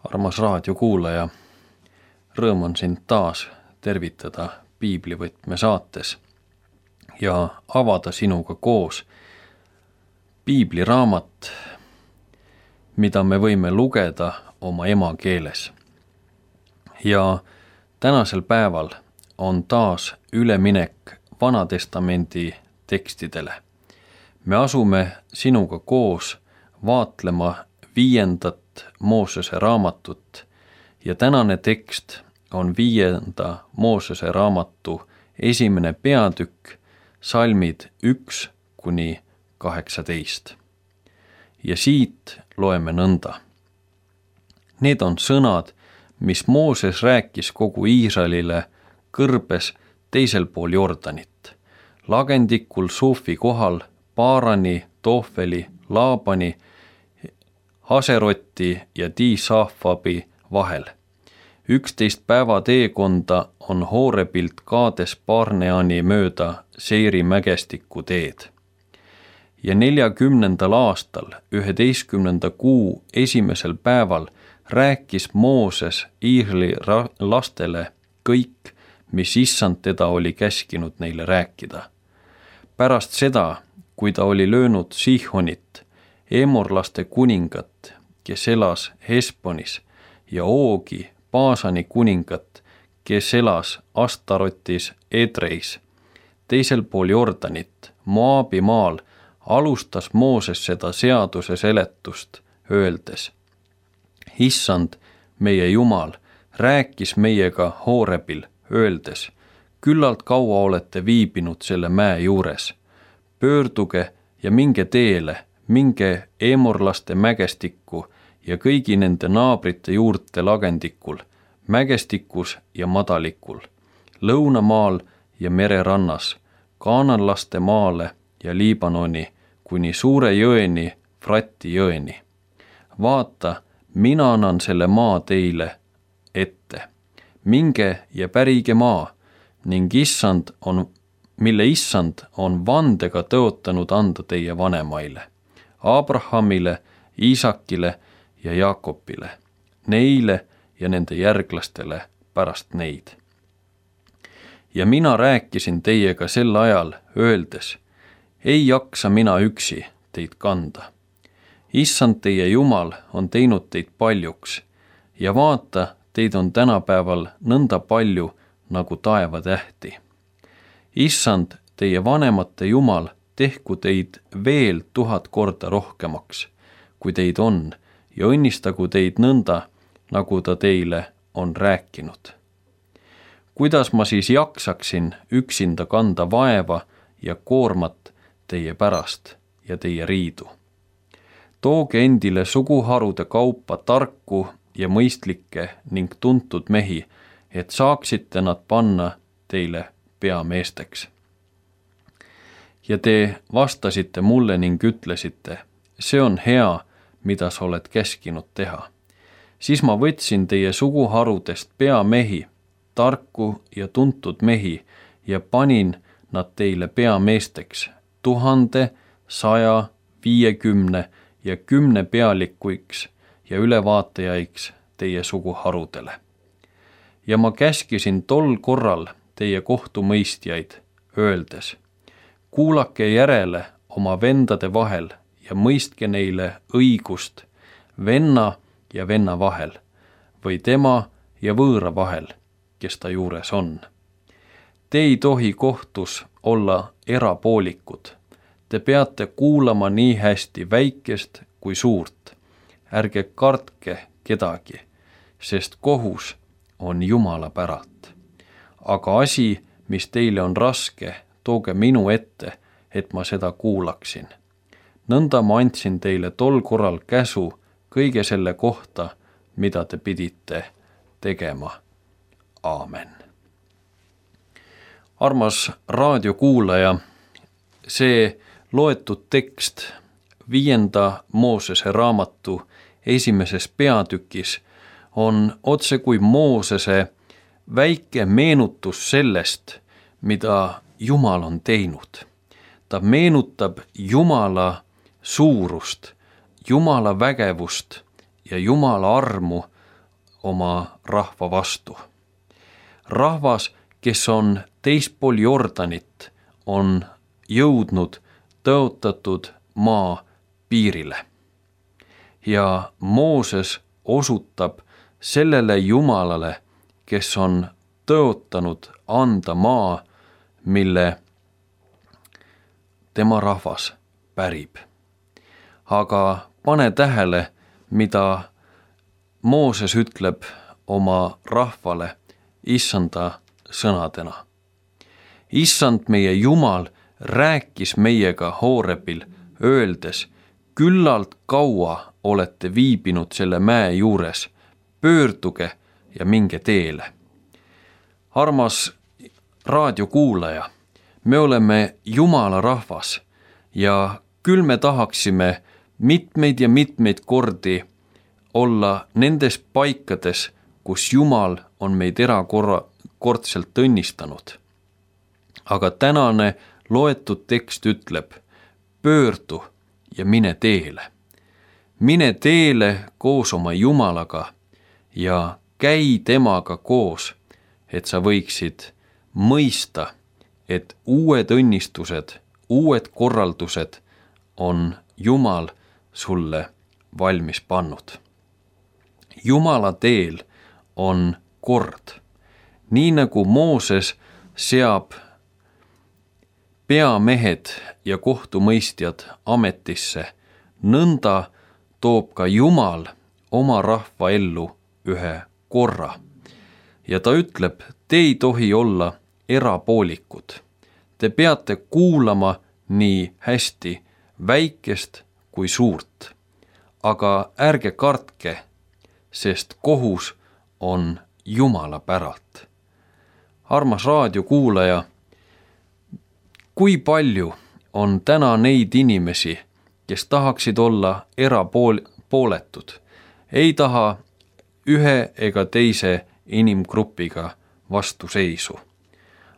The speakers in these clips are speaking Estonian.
Armas raadiokuulaja, rõõm on sind taas tervitada Piiblivõtme saates ja avada sinuga koos piibliraamat, mida me võime lugeda oma emakeeles. Ja tänasel päeval on taas üleminek Vanatestamendi tekstidele. Me asume sinuga koos vaatlema 5. Moosese raamatut ja tänane tekst on 5. Moosese raamatu 1. peatükk, salmid 1-18. Ja siit loeme nõnda. Need on sõnad, mis Mooses rääkis kogu Iisraelile kõrbes teisel pool Jordanit, lagendikul Sufi kohal Paarani, Tohveli, Laabani, Haseroti ja Diisafabi vahel. 11 päeva teekonda on Hoorebilt Kaades Barneani mööda Seiri mägestikku teed. Ja 40. aastal, 11. kuu 1. päeval rääkis Mooses Iisraeli lastele kõik, mis Issand teda oli käskinud neile rääkida. Pärast seda, kui ta oli löönud Sihonit, Emorlaste kuningat, kes elas Hesbonis, ja Oogi, Baasani kuningat, kes elas Astarotis Edreis, teisel pool Jordanit, Moabi maal, alustas Mooses seda seaduse seletust, öeldes: Issand, meie Jumal, rääkis meiega Hoorebil, öeldes: küllalt kaua olete viibinud selle mäe juures. Pöörduge ja minge teele, minge Emorlaste mägestikku ja kõigi nende naabrite juurte lagendikul, mägestikus ja madalikul, lõunamaal ja mererannas, kaananlaste maale ja Liibanoni kuni suure jõeni, Frati jõeni. Vaata, mina annan selle maa teile ette. Minge ja pärige maa, ning mille Issand on vandega tõotanud anda teie vanemaile, Abrahamile, Iisakile ja Jaakobile, neile ja nende järglastele pärast neid. Ja mina rääkisin teiega sel ajal, öeldes: ei jaksa mina üksi teid kanda. Issand teie Jumal on teinud teid paljuks ja vaata, teid on tänapäeval nõnda palju nagu taevatähti. Issand teie vanemate Jumal tehku teid veel 1000 korda rohkemaks, kui teid on, ja õnnistagu teid nõnda, nagu ta teile on rääkinud. Kuidas ma siis jaksaksin üksinda kanda vaeva ja koormat teie pärast ja teie riidu? Tooge endile suguharude kaupa tarku ja mõistlikke ning tuntud mehi, et saaksite nad panna teile peameesteks. Ja te vastasite mulle ning ütlesite: see on hea, mida sa oled käskinud teha. Siis ma võtsin teie suguharudest peamehi, tarku ja tuntud mehi, ja panin nad teile peameesteks 1000, 100, 50 ja 10 pealikuiks ja ülevaatajaiks teie suguharudele. Ja ma käskisin tol korral teie kohtumõistjaid, öeldes: kuulake järele oma vendade vahel ja mõistke neile õigust venna ja venna vahel või tema ja võõra vahel, kes ta juures on. Te ei tohi kohtus olla erapoolikud. Te peate kuulama nii hästi väikest kui suurt. Ärge kartke kedagi, sest kohus on Jumala päralt. Aga asi, mis teile on raske, tooge minu ette, et ma seda kuulaksin. Nõnda ma andsin teile tol korral käsu kõige selle kohta, mida te pidite tegema. Aamen. Armas raadiokuulaja, see loetud tekst 5. Moosese raamatu 1. peatükis on otse kui Moosese väike meenutus sellest, mida Jumal on teinud. Ta meenutab Jumala suurust, Jumala vägevust ja Jumala armu oma rahva vastu. Rahvas, kes on teispool Jordanit, on jõudnud tõotatud maa piirile. Ja Mooses osutab sellele Jumalale, kes on tõotanud anda maa, mille tema rahvas pärib. Aga pane tähele, mida Mooses ütleb oma rahvale issanda sõnadena. Issand meie Jumal rääkis meiega Hoorebil, öeldes, küllalt kaua olete viibinud selle mäe juures, pöörduge ja minge teele. Armas raadiokuulaja, me oleme Jumala rahvas ja küll me tahaksime mitmeid ja mitmeid kordi olla nendes paikades, kus Jumal on meid erakordselt õnnistanud. Aga tänane loetud tekst ütleb, pöördu ja mine teele. Mine teele koos oma Jumalaga ja käi temaga koos, et sa võiksid mõista, et uued õnnistused, uued korraldused on Jumal sulle valmis pannud. Jumala teel on kord. Nii nagu Mooses seab peamehed ja kohtumõistjad ametisse, nõnda toob ka Jumal oma rahva ellu ühe korra. Ja ta ütleb, te ei tohi olla erapoolikud. Te peate kuulama nii hästi väikest kui suurt. Aga ärge kartke, sest kohus on Jumala päralt. Armas raadiokuulaja, kui palju on täna neid inimesi, kes tahaksid olla erapooletud, ei taha ühe ega teise inimgrupiga vastuseisu.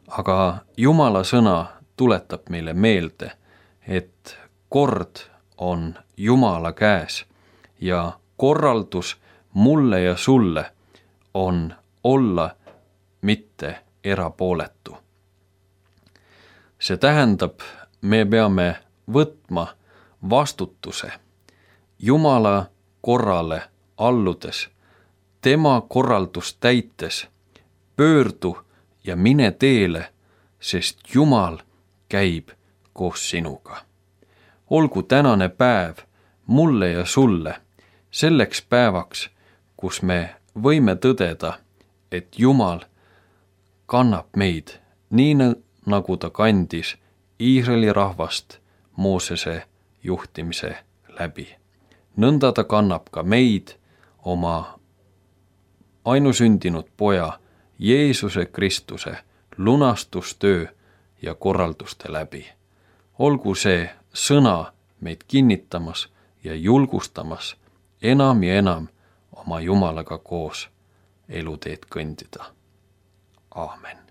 Aga Jumala sõna tuletab meile meelde, et kord on Jumala käes ja korraldus mulle ja sulle on olla mitte erapooletu. See tähendab, me peame võtma vastutuse Jumala korrale alludes, tema korraldust täites, pöördu ja mine teele, sest Jumal käib koos sinuga. Olgu tänane päev mulle ja sulle selleks päevaks, kus me võime tõdeda, et Jumal kannab meid nii nagu ta kandis Iisraeli rahvast Moosese juhtimise läbi. Nõnda ta kannab ka meid oma ainusündinud poja Jeesuse Kristuse lunastustöö ja korralduste läbi. Olgu see sõna meid kinnitamas ja julgustamas enam ja enam oma Jumalaga koos eluteed kõndida. Aamen.